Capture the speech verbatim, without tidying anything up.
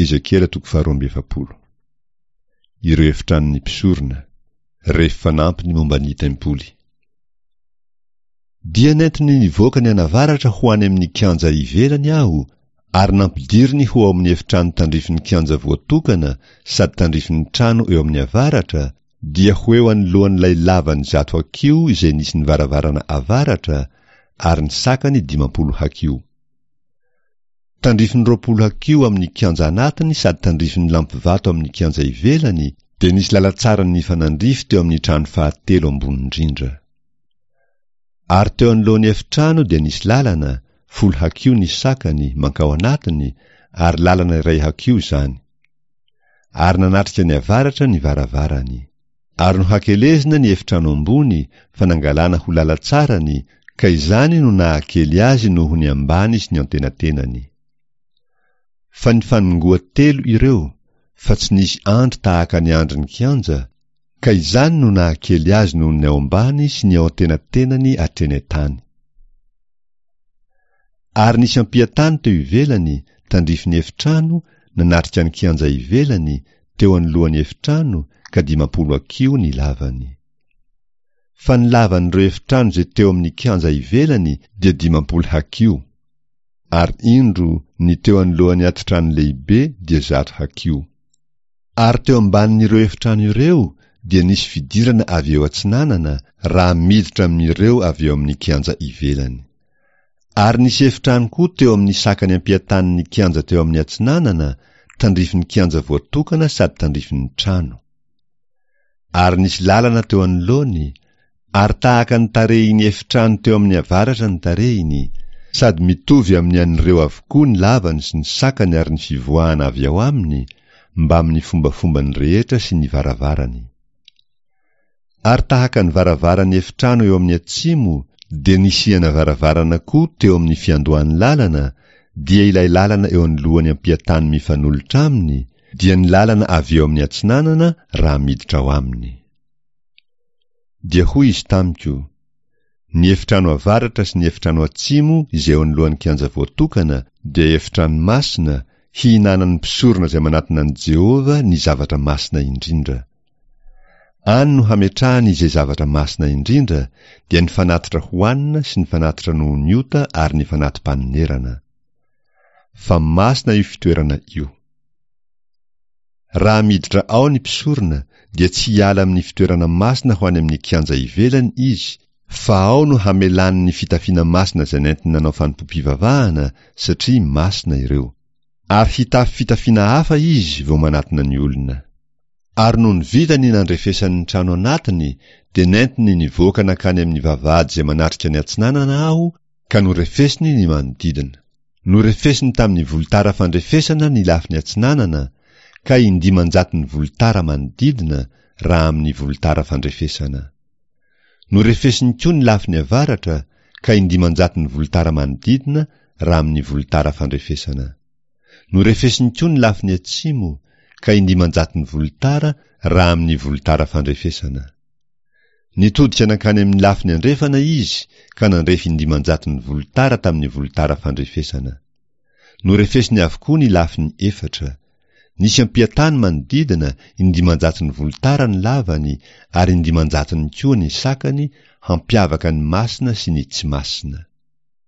Ezekiela toko faharoa amby efapolo. Ireo efitranon'ny mpisorona, refy fanampiny momba ny tempoly. Dia nentiny nivoaka nianavaratra ho any amin'ny kianja ivelany aho, ary nampidiriny ho ao amin'ny efitrano tandrifin'ny kianja voatokana sady tandrifin'ny trano eo amin'ny avaratra, dia ho eo anoloan'ilay lavany zato hakiho izay nisy ny varavarana avaratra, ary ny sakany dimampolo hakiho. Tandrifin'ny roapolo hakiho amin'ny kianja anatiny sady tandrifin'ny lampivato amin'ny kianja ivelany, dia nisy lalantsara nifanandrify teo amin'ny trano fahatelo ambony indrindra. Ary teo anoloan'ny efitrano dia nisy lalana, folo hakiho ny sakany, mankao anatiny, ary lalana iray hakiho izany. Ary nanatrika ny avaratra ny varavarany. Ary nohakelezina ny efitrano ambony, fa nangalana ho lalantsarany, ka izany no nahakely azy noho ny ambany sy ny antenatenany. Fa nifanongoa telo ireo, fa tsy nisy andry tahaka ny andrin'ny kianja, ka izany no nahakely azy noho ny ao ambany sy ny ao antenatenany hatreny an-tany. Ary nisy ampiantany teo ivelany, tandrifin'ny efitrano, nanatrika ny kianja ivelany, teo anoloan'ny efitrano, ka dimampolo hakiho ny lavany. Fa ny lavan'ireo efitrano izay teo amin'ny kianja ivelany dia dimampolo hakiho. Ary indro, ny teo anoloan'ny atitrano lehibe dia zato hakiho. Ary teo ambanin'ireo efitrano ireo dia nisy fidirana avy eo atsinanana, raha miditra amin'ireo avy eo amin'ny kianja ivelany. Ary nisy efitrano koa teo amin'ny sakany ampiatanin'ny kianja teo amin'ny atsinanana, tandrifin'ny kianja voatokana sady tandrifin'ny trano. Ary nisy lalana teo anoloany, ary tahaka ny tarehin'ny efitrano teo amin'ny avaratra ny tarehiny, sady mitovy amin'ny an'ireo avokoa ny lavany sy ny sakany ary ny fivoahana avy ao aminy, mbamin'ny fombafombany rehetra sy ny varavarany. Ary tahaka ny varavaran'ny efitrano eo amin'ny atsimo, dia nisiana varavarana koa teo amin'ny fiandohan'ny lalana, dia ilay lalana eo anoloan'ny ampiatany mifanolotra aminy, dia ny lalana avy eo amin'ny atsinanana raha miditra ao aminy. Dia hoy izy tamiko, Ny efitrano avaratra sy ny efitrano atsimo izay eo anoloan'ny kianja voatokana dia efitrano masina, hihinanan'ny mpisorona izay manatona an'i Jehovah ny zavatra masina indrindra. Any no hametrahany izay zavatra masina indrindra, dia ny fanatitra hohanina sy ny fanatitra noho ny ota ary ny fanati-panonerana. Fa masina io fitoerana io. Raha miditra ao ny mpisorona, dia tsy hiala amin'ny fitoerana masina ho any amin'ny kianja ivelany izy, fa ao no hamelany ny fitafiana masina izay nentiny nanao fanompoam-pivavahana, satria masina ireo. Ary hitafy fitafiana hafa izy vao manatona ny olona. Ary nony vita ny nandrefesany ny trano anatiny, dia nentiny nivoaka nankany amin'ny vavahady izay manatrika ny atsinanana aho, ka norefesiny ny manodidina. Norefesiny tamin'ny volotara fandrefesana ny lafiny atsinanana, ka indimanjaton'ny volotara manodidina raha amin'ny volotara fandrefesana. Norefesiny koa ny lafiny avaratra, ka indimanjaton'ny volotara manodidina raha amin'ny volotara fandrefesana. Norefesiny koa ny lafiny atsimo, ka indimanjaton'ny volotara raha amin'ny volotara fandrefesana. Nitodika nankany amin'ny lafiny andrefana izy, ka nandrefy indimanjaton'ny volotara tamin'ny volotara fandrefesana. Norefesiny avokoa ny lafiny efatra. Nisy ampiatany manodidina, indimanjaton'ny volotara ny lavany, ary indimanjatony koa ny sakany, hampiavaka ny masina sy ny tsy masina.